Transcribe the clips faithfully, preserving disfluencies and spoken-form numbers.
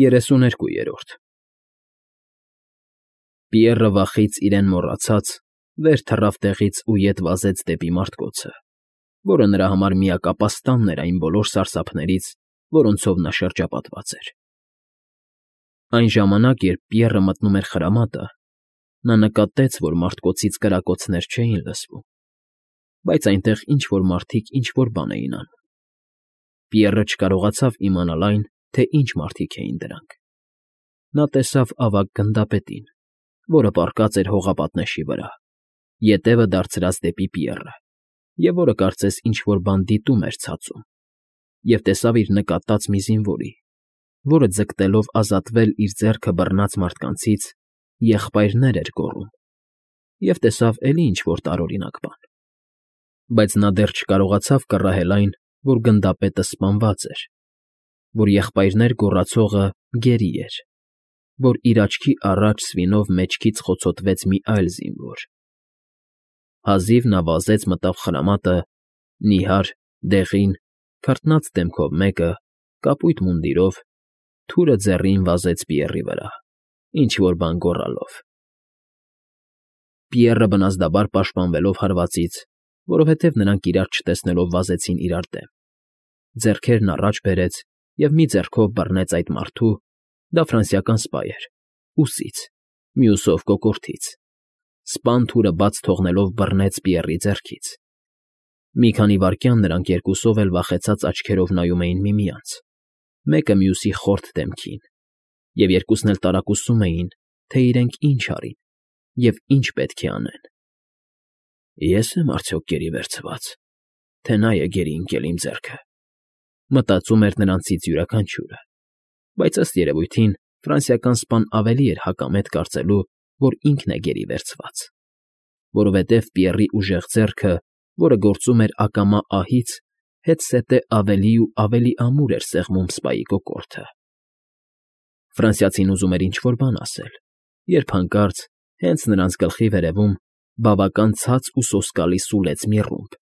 Երեսուներկուերորդ Պիեռը վախից իրեն մոռացած վեր թռավ տեղից ու ետ վազեց դեպի մարտկոցը, որը նրա համար միակապաստանն էր այն բոլոր սարսափներից, որոնցով նա շրջապատված էր։ Այն ժամանակ, երբ Պիեռը մտնում էր խրամատը, նա նկատեց, որ մարտկոցից կրակոցներ չէին լսվում, բայց այնտեղ ինչ֊որ մարդիկ ինչ֊որ բան էին անում։ Պիեռը չկարողացավ իմանալ այն, թե ինչ մարդիկ էին դրանք։ Նա տեսավ ավագ գնդապետին, որը պառկած էր հողապատնեշի վրա, ետևը դարձրած դեպի Պիեռը, և որը կարծես ինչ֊որ բան դիտում էր ցածում, և տեսավ իր նկատած մի զինվորի, որը ձգտելով ազատվել իր ձեռքը բռնած մարդկանցից, եղբայրներ էր գոռում, և տեսավ էլի ինչ֊որ տարօրինակ բան։ Բայց նա դեռ չկարողացավ կռահել այն, որ գնդապետը սպանված էր, որ եղբայրներ գոռացողը գերի էր, որ իր աչքի առաջ սվինով մեջքից խոցոտվեց մի այլ զինվոր։ Հազիվ նա վազեց մտավ խրամատը, նիհար, դեղին, քրտնած դեմքով մեկը, կապույտ մունդիրով, թուրը ձեռին վազեց Պիեռի վրա, ինչ֊որ բան գոռալով։ Պիեռը բնազդաբար պաշտպանվելով հարվածից, որովհետև նրանք իրար չտեսնելով վազեցին իրար դեմ, ձեռքերն առաջ բերեց և մի ձեռքով բռնեց այդ մարդու (դա ֆրանսիական սպա էր) ուսից, մյուսով կոկորդից, սպան թուրը բաց թողնելով բռնեց Պիեռի ձեռքից։ Մի քանի վայրկյան նրանք երկուսով էլ վախեցած աչքերով նայում էին միմյանց, մեկը մյուսի խորթ դեմքին, և երկուսն էլ տարակուսում էին, թե իրենք ինչ արին և ինչ պետք է անեն։ «Ե՞ս եմ արդյոք գերի վերցված, թե նա է գերի ընկել իմ ձեռքը», մտածում էր նրանցից յուրաքանչյուրը, բայց ըստ երևույթին ֆրանսիական սպան ավելի էր հակամետ կարծելու, որ ինքն է գերի վերցված, որովհետև Պիեռի ուժեղ ձեռքը, որը գործում էր ակամա ահից, հետզհետե ավելի ու ավելի ամուր էր սեղմում սպայի կոկորդը։ Ֆրանսիացին ուզում էր ինչ֊որ բան ասել, երբ հանկարծ, հենց նրանց գլխի վերևում, բավական ցած ու սոսկալի սուլեց մի ռումբ,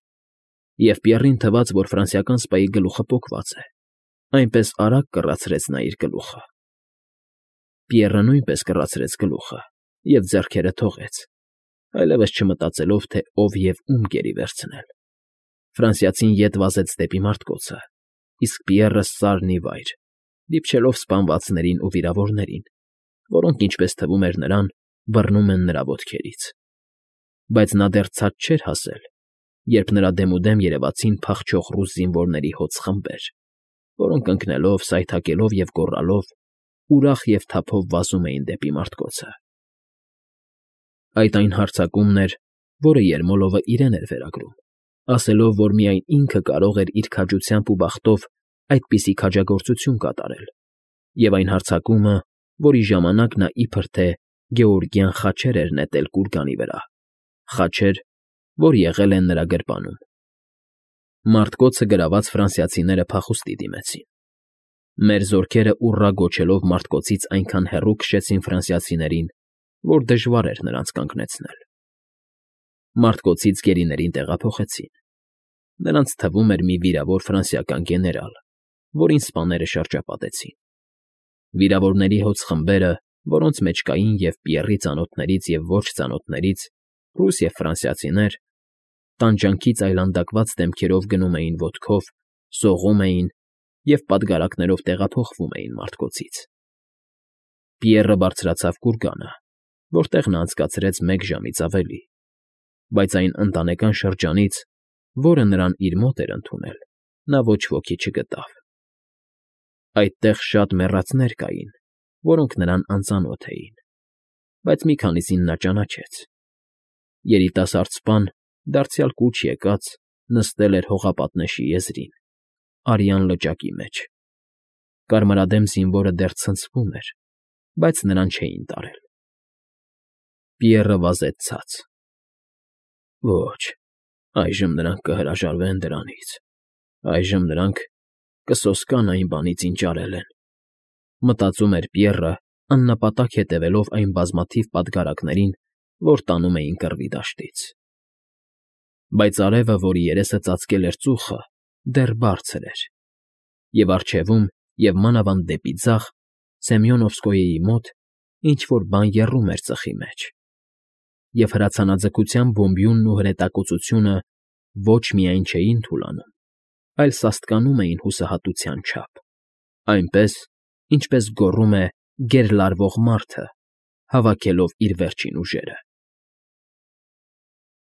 և Պիեռին թվաց, որ ֆրանսիական սպայի գլուխը պոկված է, այնպես արագ կռացրեց նա իր գլուխը։ Պիեռը նույնպես կռացրեց գլուխը և ձեռքերը թողեց, այլևս չմտածելով, թե ով և ում գերի վերցնել։ Ֆրանսիացին ետ վազեց դեպի մարտկոցը, իսկ Պիեռը սարն ի վայր, դիպչելով սպանվածներին ու վիրավորներին, որոնք, ինչպես թվում էր նրան, բռնում են նրա ոտքերից։ Բայց նա դեռ ցած չէր հասել, երբ նրա դեմուդեմ երևացին փախչող ռուս զինվորների հոծ խմբեր, որոնք ընկնելով, սայթաքելով և գոռալով ուրախ և թափով վազում էին դեպի մարտկոցը։ Այդ այն հարձակումն էր, որը Երմոլովը իրեն էր վերագրում, ասելով, որ միայն ինքը կարող էր իր քաջությամբ ու բախտով այդպիսի քաջագործություն կատարել, և այն հարձակումը, որի ժամանակ նա իբր թե գեորգյան խաչեր էր նետել կուրգանի վրա, խաչեր, որ եղել են նրա գրպանում։ Մարտկոցը գրաված ֆրանսիացիները փախուստի դիմեցին։ Մեր զորքերը ուռա գոչելով մարտկոցից այնքան հեռու քշեցին ֆրանսիացիներին, որ դժվար էր նրանց կանգնեցնել։ Մարտկոցից գերիներին տեղափոխեցին։ Նրանց թվում էր մի վիրավոր ֆրանսիական գեներալ, որին սպաները շրջապատեցին։ Վիրավորների հոծ խմբերը, որոնց մեջ կային և Պիեռի ծանոթներից և ոչ ծանոթներից, ռուս և ֆրանսիացիներ, տանջանքից այլանդակված դեմքերով գնում էին ոտքով, սողում էին և պատգարակներով տեղափոխվում էին մարտկոցից։ Պիեռը բարձրացավ կուրգանը, որտեղ նա անցկացրեց մեկ ժամից ավելի, բայց այն ընտանեկան շրջանից, որը նրան իր մոտ էր ընդունել, նա ոչ ոքի չգտավ։ Այդտեղ շատ մեռածներ կային, որոնք նրան անծանոթ էին, բայց մի քանիսին նա ճանաչեց։ Երիտասարդ սպան, դարձյալ կուչ եկած, նստել էր հողապատնեշի եզրին, արյան լճակի մեջ։ Կարմրադեմ զինվորը դեռ ցնցվում էր, բայց նրան չէին տարել։ Պիեռը վազեց ցած։ Ոչ, այժմ նրանք կհրաժարվեն դրանից, այժմ նրանք կսոսկան այն բանից, ինչ արել են, մտածում էր Պիեռը, աննպատակ հետևելով այն բազմաթիվ պատգարակներին, որ տանում էին կռվի դաշտից։ Բայց արևը, որի երեսը ծածկել էր ծուխը, դեռ բարձր էր, և առջևում և մանավանդ դեպի ձախ Սեմյոնովսկոյի մոտ ինչ֊որ բան եռում էր ծխի մեջ, և հրացանաձգության բոմբյունն ու հրետակոծությունը ոչ միայն չէին թուլանում, այլ սաստկանում էին հուսահատության չափ, այնպես, ինչպես գոռում է գերլարվող մարդը, հավաքելով իր վերջին ուժերը։